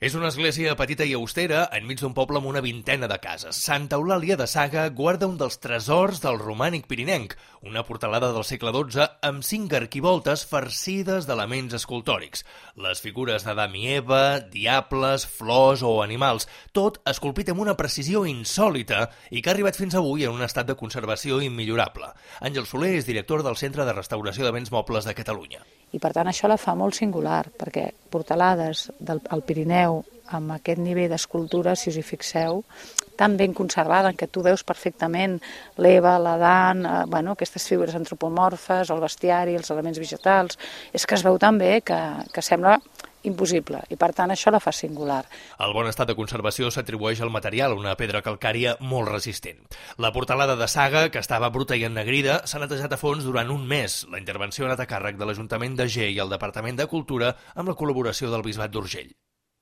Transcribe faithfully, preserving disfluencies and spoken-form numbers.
És una església petita i austera enmig d'un poble amb una vintena de cases. Santa Eulàlia de Saga guarda un dels tresors del romànic pirinenc, una portalada del segle dotze amb cinc arquivoltes farcides d'elements escultòrics. Les figures d'Adam i Eva, diables, flors o animals, tot esculpit amb una precisió insòlita i que ha arribat fins avui en un estat de conservació immillorable. Àngel Soler és director del Centre de Restauració de Béns Mobles de Catalunya. I per tant això la fa molt singular, perquè portalades del al Pirineu amb aquest nivell d'escultura, si us hi fixeu, tan ben conservada, en què tu veus perfectament l'Eva, l'Adam, eh, bueno, aquestes figures antropomorfes, el bestiari, els elements vegetals, és que es veu tan bé que, que sembla impossible, i per tant això la fa singular. El bon estat de conservació s'atribueix al material, una pedra calcària molt resistent. La portalada de Saga, que estava bruta i ennegrida, s'ha netejat a fons durant un mes. La intervenció ha anat a càrrec de l'Ajuntament de Ger i el Departament de Cultura amb la col·laboració del Bisbat d'Urgell.